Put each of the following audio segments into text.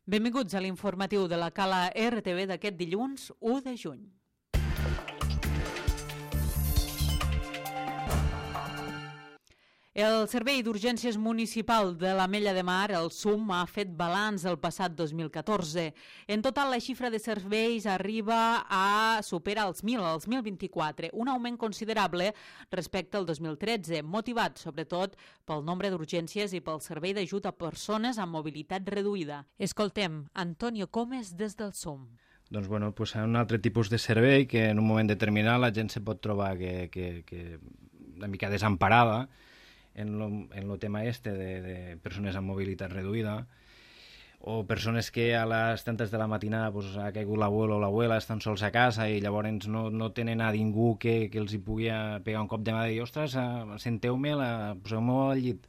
Benvinguts a l'informatiu de la Cala RTV d'aquest dilluns 1 de juny. El Servei d'Urgències Municipal de l'Ametlla de Mar, el SUM, ha fet balanç el passat 2014. En total, la xifra de serveis arriba a superar els 1.000, els 1.024, un augment considerable respecte al 2013, motivat sobretot pel nombre d'urgències i pel servei d'ajut a persones amb mobilitat reduïda. Escoltem Antonio Comes des del SUM. Doncs és un altre tipus de servei que en un moment determinat la gent se pot trobar que una mica desemparada en el tema de persones amb mobilitat reduïda, o persones que a les tantes de la matinada ha caigut l'abuelo o l'abuela, estan sols a casa i llavors no tenen a ningú que els hi pugui pegar un cop de mà i dir, ostres, senteu-me, poseu-me al llit.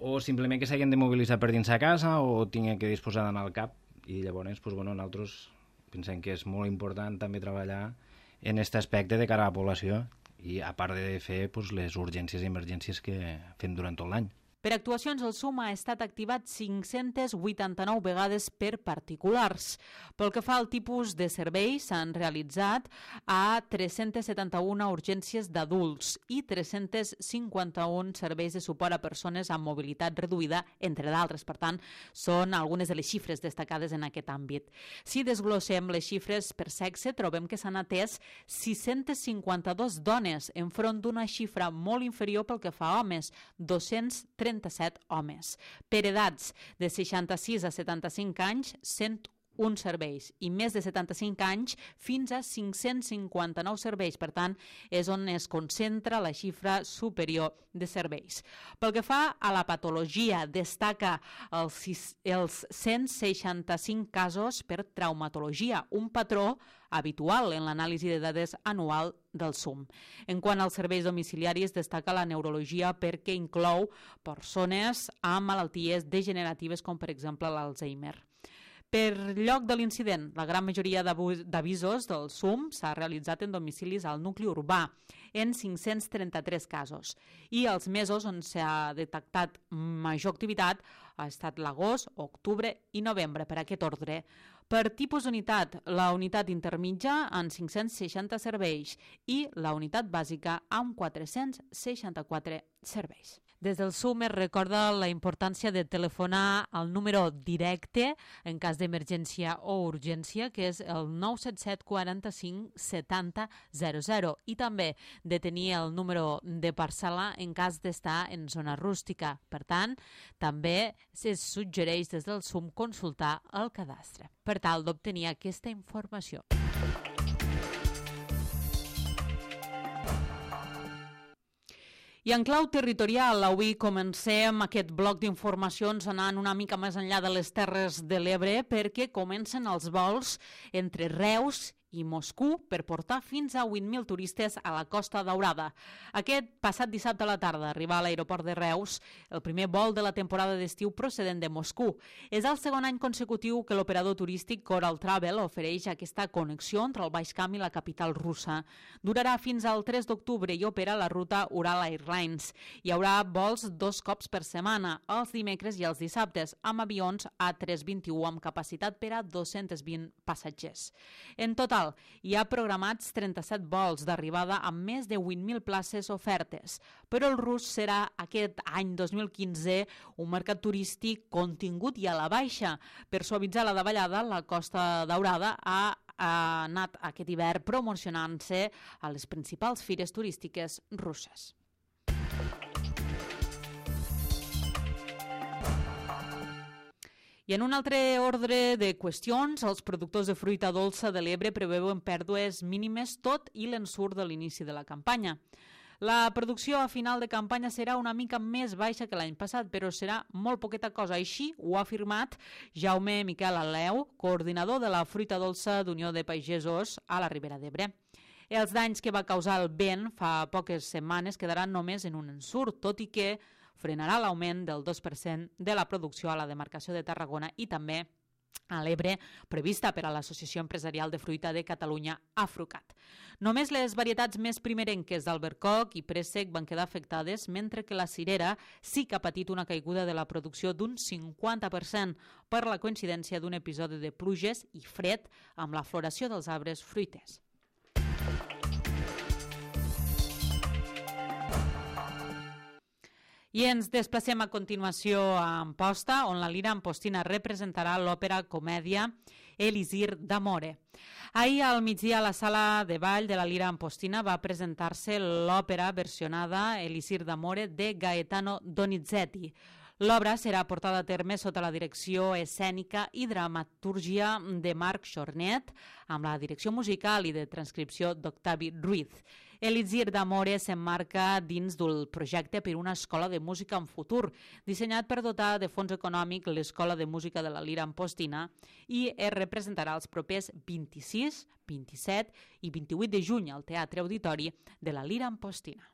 O simplement que s'hagin de mobilitzar per dins a casa o tinguin que disposar d'anar al CAP. I llavors, nosaltres pensem que és molt important també treballar en aquest aspecte de cara a la població, i a part de fer les urgències i emergències que fem durant tot l'any. Per actuacions, el SUM ha estat activat 589 vegades per particulars. Pel que fa al tipus de serveis, s'han realitzat a 371 urgències d'adults i 351 serveis de suport a persones amb mobilitat reduïda, entre d'altres. Per tant, són algunes de les xifres destacades en aquest àmbit. Si desglossem les xifres per sexe, trobem que s'han atès 652 dones, enfront d'una xifra molt inferior pel que fa a homes, 237 homes. Per edats de 66 a 75 anys, 101 serveis, i més de 75 anys fins a 559 serveis. Per tant, és on es concentra la xifra superior de serveis. Pel que fa a la patologia, destaca els 165 casos per traumatologia, un patró habitual en l'anàlisi de dades anual del SUM. En quant als serveis domiciliaris, destaca la neurologia perquè inclou persones amb malalties degeneratives com per exemple l'Alzheimer. Per lloc de l'incident, la gran majoria d'avisos del SUM s'ha realitzat en domicilis al nucli urbà, en 533 casos. I els mesos on s'ha detectat major activitat ha estat l'agost, octubre i novembre, per aquest ordre. Per tipus d'unitat, la unitat intermitja amb 560 serveis i la unitat bàsica amb 464 serveis. Des del SUM es recorda la importància de telefonar al número directe en cas d'emergència o urgència, que és el 977 45 70 00, i també de tenir el número de parcel·la en cas d'estar en zona rústica. Per tant, també es suggereix des del SUM consultar el cadastre per tal d'obtenir aquesta informació. I en clau territorial, avui comencem aquest bloc d'informacions anant una mica més enllà de les Terres de l'Ebre, perquè comencen els vols entre Reus i Moscou per portar fins a 8.000 turistes a la Costa Daurada. Aquest passat dissabte a la tarda arriba a l'aeroport de Reus el primer vol de la temporada d'estiu procedent de Moscou. És el segon any consecutiu que l'operador turístic Coral Travel ofereix aquesta connexió entre el Baix Camp i la capital russa. Durarà fins al 3 d'octubre i opera la ruta Ural Airlines. Hi haurà vols 2 cops per setmana, els dimecres i els dissabtes, amb avions A321 amb capacitat per a 220 passatgers. En total, hi ha programats 37 vols d'arribada amb més de 8.000 places ofertes, però el rus serà aquest any 2015 un mercat turístic contingut i a la baixa. Per suavitzar la davallada, la Costa Daurada ha anat aquest hivern promocionant-se a les principals fires turístiques russes. I en un altre ordre de qüestions, els productors de fruita dolça de l'Ebre preveuen pèrdues mínimes tot i l'ensurt de l'inici de la campanya. La producció a final de campanya serà una mica més baixa que l'any passat, però serà molt poqueta cosa. Així ho ha afirmat Jaume Miquel Aleu, coordinador de la fruita dolça d'Unió de Pagesos a la Ribera d'Ebre. Els danys que va causar el vent fa poques setmanes quedaran només en un ensurt, tot i que frenarà l'augment del 2% de la producció a la demarcació de Tarragona i també a l'Ebre, prevista per a l'Associació Empresarial de Fruita de Catalunya, Afrucat. Només les varietats més primerenques d'albercoc i préssec van quedar afectades, mentre que la cirera sí que ha patit una caiguda de la producció d'un 50% per la coincidència d'un episodi de pluges i fred amb la floració dels arbres fruiters. I ens desplacem a continuació a Amposta, on la Lira Ampostina representarà l'òpera comèdia Elisir d'Amore. Ahir al migdia a la sala de ball de la Lira Ampostina va presentar-se l'òpera versionada Elisir d'Amore de Gaetano Donizetti. L'obra serà portada a terme sota la direcció escènica i dramatúrgia de Marc Chornet, amb la direcció musical i de transcripció d'Octavi Ruiz. Elisir d'Amore s'emmarca dins del projecte per una escola de música en futur, dissenyat per dotar de fons econòmic l'Escola de Música de la Lira Ampostina, i es representarà els propers 26, 27 i 28 de juny al Teatre Auditori de la Lira Ampostina.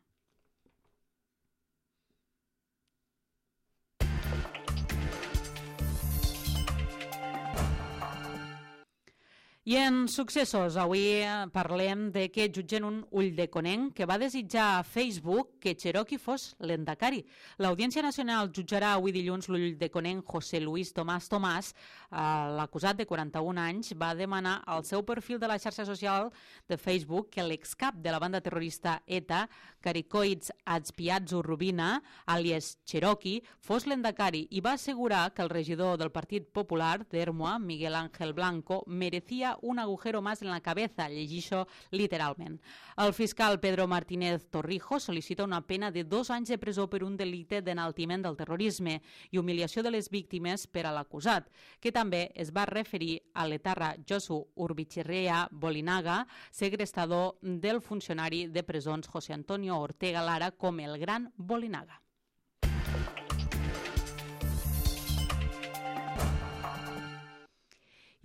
I en successos, avui parlem de que jutgen un ulldeconnenc que va desitjar a Facebook que Cherokee fos l'endacari. L'Audiència Nacional jutjarà avui dilluns l'ulldeconnenc José Luis Tomás Tomás. L'acusat de 41 anys va demanar al seu perfil de la xarxa social de Facebook que l'excap de la banda terrorista ETA, Caricoids Azpiazzu Rubina, alias Cherokee, fos l'endacari i va assegurar que el regidor del Partit Popular d'Ermua, Miguel Ángel Blanco, merecía un agujero más en la cabeza, llegixo literalment. El fiscal Pedro Martínez Torrijos sol·licita una pena de 2 anys de presó per un delicte d'enaltiment del terrorisme i humiliació de les víctimes per a l'acusat, que també es va referir a l'etarra Josu Urbitxerrea Bolinaga, segrestador del funcionari de presons José Antonio Ortega Lara, com el Gran Bolinaga.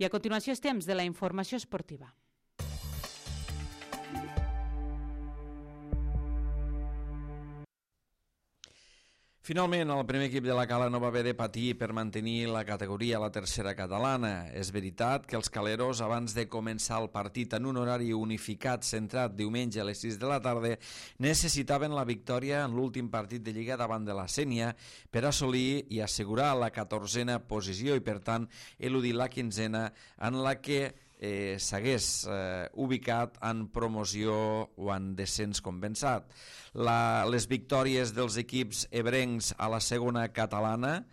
I a continuació és temps de la informació esportiva. Finalment, el primer equip de la Cala no va haver de patir per mantenir la categoria a la tercera catalana. És veritat que els caleros, abans de començar el partit en un horari unificat centrat diumenge a les 6 de la tarda, necessitaven la victòria en l'últim partit de Lliga davant de la Sénia per assolir i assegurar la 14a posició i, per tant, eludir la 15a en la que s'hagués ubicat en promoció o en descens compensat. Les victòries dels equips ebrencs a la segona catalana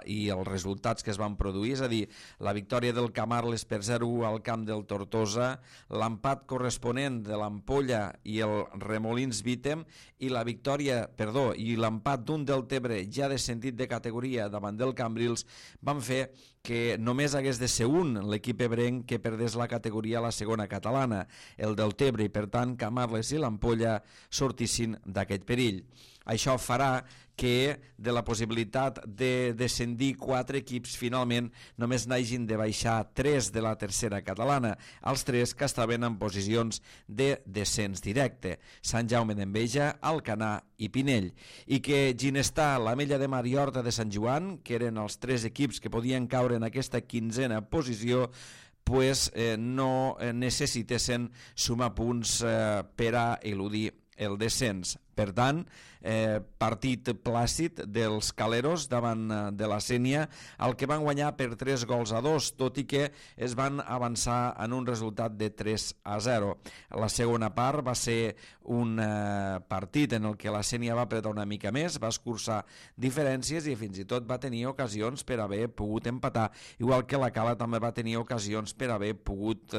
i els resultats que es van produir, és a dir, la victòria del Camarles per 0-1 al camp del Tortosa, l'empat corresponent de l'Ampolla i el Remolins Vítem i l'empat d'un Deltebre ja descendit de categoria davant del Cambrils van fer que només hagués de ser un l'equip ebrenc que perdés la categoria a la segona catalana, el Deltebre, i per tant Camarles i l'Ampolla sortissin d'aquest perill. Això farà que de la possibilitat de descendir 4 equips finalment només n'hagin de baixar 3 de la tercera catalana, els 3 que estaven en posicions de descens directe, Sant Jaume d'Enveja, Alcanar i Pinell, i que Ginestà, l'Ametlla de Mar i Horta de Sant Joan, que eren els 3 equips que podien caure en aquesta 15a posició, no necessitessin sumar punts per a eludir el descens. Per tant, partit plàcid dels caleros davant de la Sénia, el que van guanyar per 3-2, tot i que es van avançar en un resultat de 3-0. La segona part va ser un partit en el que la Sénia va apretar una mica més, va escurçar diferències i fins i tot va tenir ocasions per haver pogut empatar, igual que la Cala també va tenir ocasions per haver pogut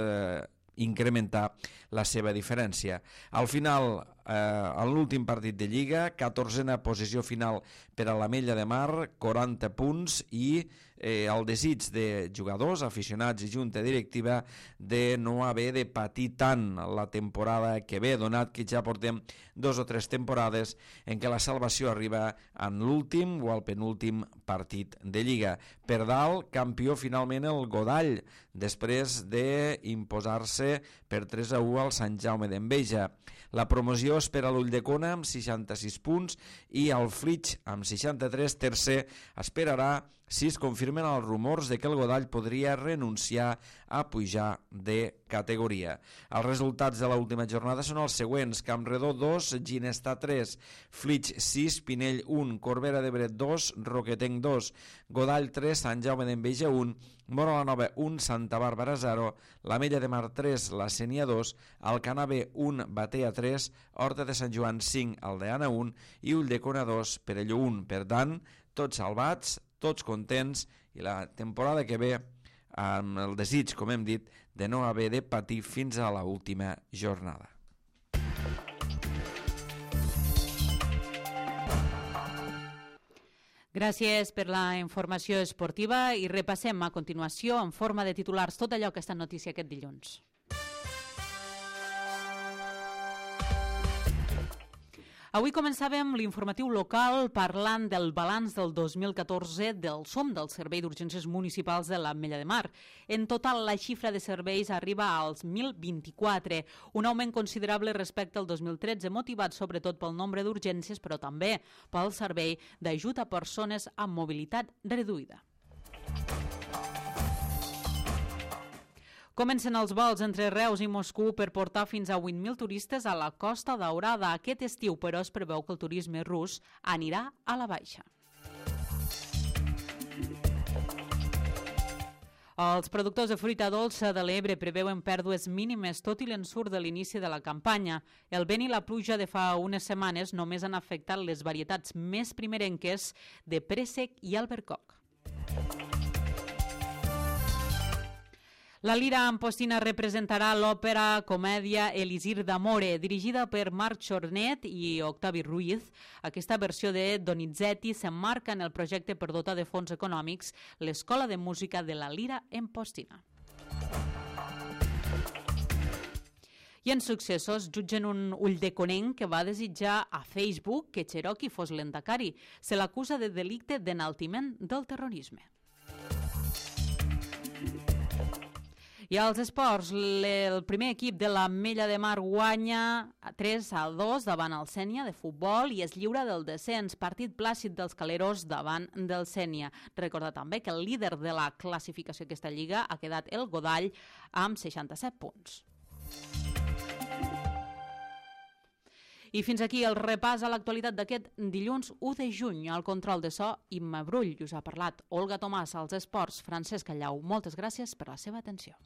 incrementar la seva diferència. Al final, en l'últim partit de Lliga, 14a posició final per a l'Ametlla de Mar, 40 punts, i el desig de jugadors, aficionats i junta directiva de no haver de patir tant la temporada que ve, donat que ja portem 2 o 3 temporades en què la salvació arriba en l'últim o al penúltim partit de Lliga. Per dalt, campió finalment el Godall, després d'imposar-se per 3-1 al Sant Jaume d'Enveja. La promoció Millor espera l'Ulldecona amb 66 punts i el Flix amb 63, tercer, esperarà si es confirmen els rumors de que el Godall podria renunciar a pujar de categoria. Els resultats de l'última jornada són els següents: Campredó 2, Ginestà 3, Flix 6, Pinell 1, Corbera d'Ebre 2, Roquetenc 2, Godall 3, Sant Jaume d'Enveja 1, Móra la Nova 1, Santa Bàrbara 0, l'Ametlla de Mar 3, la Sénia 2, Alcanar B 1, Batea 3, Horta de Sant Joan 5, Aldeana 1 i Ulldecona 2, Perelló 1. Per tant, tots salvats, tots contents, i la temporada que ve amb el desig, com hem dit, de no haver de patir fins a l'última jornada. Gràcies per la informació esportiva i repassem a continuació en forma de titulars tot allò que està en notícia aquest dilluns. Avui començàvem l'informatiu local parlant del balanç del 2014 del SOM, del Servei d'Urgències Municipals de l'Ametlla de Mar. En total, la xifra de serveis arriba als 1.024, un augment considerable respecte al 2013, motivat sobretot pel nombre d'urgències, però també pel servei d'ajut a persones amb mobilitat reduïda. Comencen els vols entre Reus i Moscou per portar fins a 8.000 turistes a la Costa Daurada aquest estiu, però es preveu que el turisme rus anirà a la baixa. Els productors de fruita dolça de l'Ebre preveuen pèrdues mínimes tot i l'ensurt de l'inici de la campanya. El vent i la pluja de fa unes setmanes només han afectat les varietats més primerenques de préssec i albercoc. La Lira Ampostina representarà l'òpera comèdia Elisir d'Amore, dirigida per Marc Chornet i Octavi Ruiz. Aquesta versió de Donizetti s'emmarca en el projecte per dotar de fons econòmics l'Escola de Música de la Lira Ampostina. I en successos jutgen un uldeconenc que va desitjar a Facebook que Cherokee fos l'endacari. Se l'acusa de delicte d'enaltiment del terrorisme. I als esports, el primer equip de l'Ametlla de Mar guanya 3-2 davant el Sénia de futbol i es lliura del descens, partit plàcid dels caleros davant del Sénia. Recordar també que el líder de la classificació d'aquesta lliga ha quedat el Godall amb 67 punts. I fins aquí el repàs a l'actualitat d'aquest dilluns 1 de juny. Al control de so, Imma Brull. Us ha parlat Olga Tomàs als esports, Francesc Callau. Moltes gràcies per la seva atenció.